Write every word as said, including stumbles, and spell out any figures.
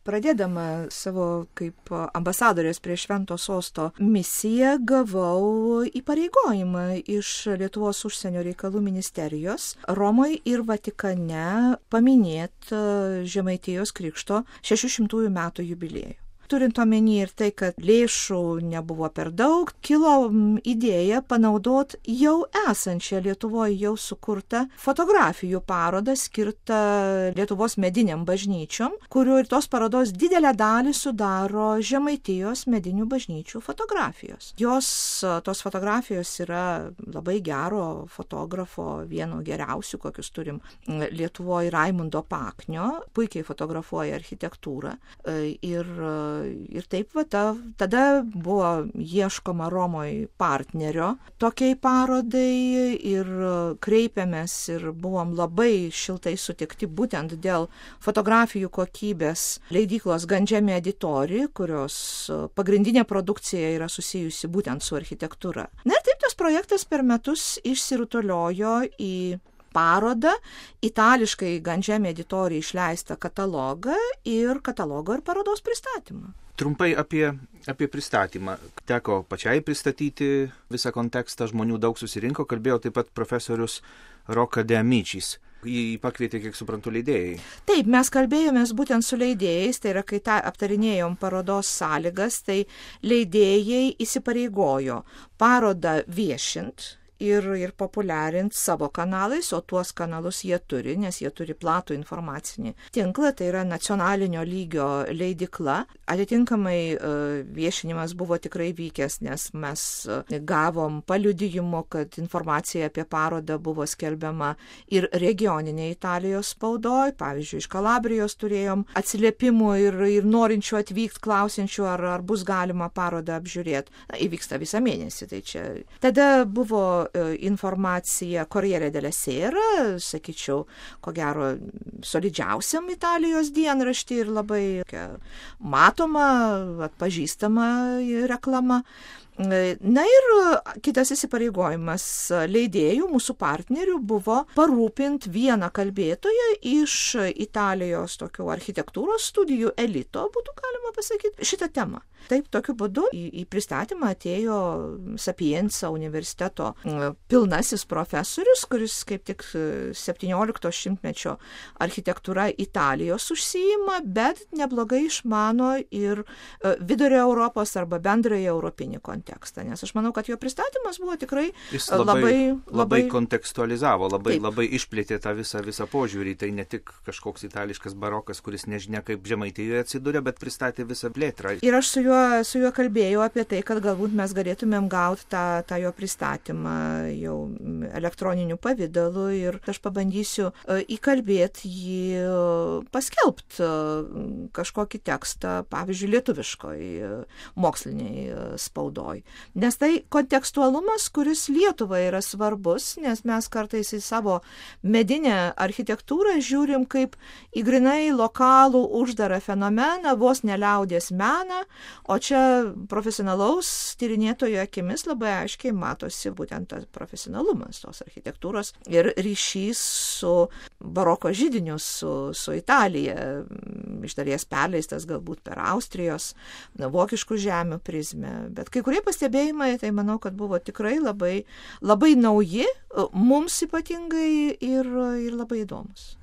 Pradėdama savo kaip ambasadorės prie Švento sosto misiją gavau įpareigojimą iš Lietuvos užsienio reikalų ministerijos Romoje ir Vatikane paminėti Žemaitijos krikšto šešišimtųjų metų jubiliejų. Turint omeny ir tai, kad lėšų nebuvo per daug, kilo idėja panaudoti jau esančią Lietuvoje jau sukurtą fotografijų parodą skirtą Lietuvos mediniam bažnyčiom, kurių ir tos parodos didelę dalį sudaro Žemaitijos medinių bažnyčių fotografijos. Jos, tos fotografijos yra labai gero fotografo, vieno geriausių, kokius turim Lietuvoje, Raimundo Paknio, puikiai fotografuoja architektūrą ir Ir taip, va, ta, tada buvo ieškoma Romoje partnerio tokiai parodai ir kreipėmės ir buvom labai šiltai sutikti būtent dėl fotografijų kokybės leidyklos Gandžemi Editori, kurios pagrindinė produkcija yra susijusi būtent su architektūra. Na ir taip tas projektas per metus išsirutuliojo į parodą, itališkai Gandžemi Editori išleistą katalogą ir katalogo ir parodos pristatymą. Trumpai apie, apie pristatymą. Teko pačiai pristatyti visą kontekstą, žmonių daug susirinko, kalbėjo taip pat profesorius Rocca De Amicis. Jį pakvietė, kiek suprantu, leidėjai. Taip, mes kalbėjomės būtent su leidėjais, tai yra, kai tą aptarinėjom parodos sąlygas, tai leidėjai įsipareigojo parodą viešint ir, ir populiarint savo kanalais, o tuos kanalus jie turi, nes jie turi platų informacinį tinklą, tai yra nacionalinio lygio leidykla. Atitinkamai viešinimas buvo tikrai vykęs, nes mes gavom paliudijimo, kad informacija apie parodą buvo skelbiama ir regioninė Italijos spaudoj, pavyzdžiui, iš Kalabrijos turėjom atsiliepimų ir, ir norinčių atvykti, klausinčių, ar, ar bus galima parodą apžiūrėti. Na, įvyksta visą mėnesį, tai čia. Tada buvo informacija Corriere della Sera, sakyčiau, ko gero solidžiausiam Italijos dienraštį ir labai matoma, atpažįstama reklama. Na ir kitas įsipareigojimas leidėjų, mūsų partnerių, buvo parūpinti vieną kalbėtoją iš Italijos tokių architektūros studijų elito, būtų galima pasakyti, šitą temą. Taip, tokiu būdu į, į pristatymą atėjo Sapienza universiteto pilnasis profesorius, kuris kaip tik septyniolikto šimtmečio architektūra Italijos užsiima, bet neblogai išmano ir vidurio Europos arba bendrąjį europinį kontekstą. Nes aš manau, kad jo pristatymas buvo tikrai Jis labai, labai, labai, labai kontekstualizavo, labai, taip. labai išplėtė tą visą, visą požiūrį. Tai ne tik kažkoks itališkas barokas, kuris nežinia kaip Žemaitijoje atsiduria, bet pristatė visą plėtrą. Ir aš su juo, su juo kalbėjau apie tai, kad galbūt mes galėtumėm gauti tą, tą jo pristatymą jau elektroniniu pavidalu ir aš pabandysiu įkalbėti jį paskelbti kažkokį tekstą, pavyzdžiui, lietuviškoj moksliniai spaudoj. Nes tai kontekstualumas, kuris Lietuvai yra svarbus, nes mes kartais į savo medinę architektūrą žiūrim kaip į grinai lokalų uždarą fenomeną, vos neliaudės meną, o čia profesionalaus tyrinėtojo akimis labai aiškiai matosi būtent tas profesionalumas tos architektūros ir ryšys su baroko židiniu, su, su Italija, iš dalies perleistas galbūt per Austrijos, vokiškų žemių prizmę. Bet kai kurie pastebėjimai, tai manau, kad buvo tikrai labai, labai nauji, mums ypatingai ir, ir labai įdomus.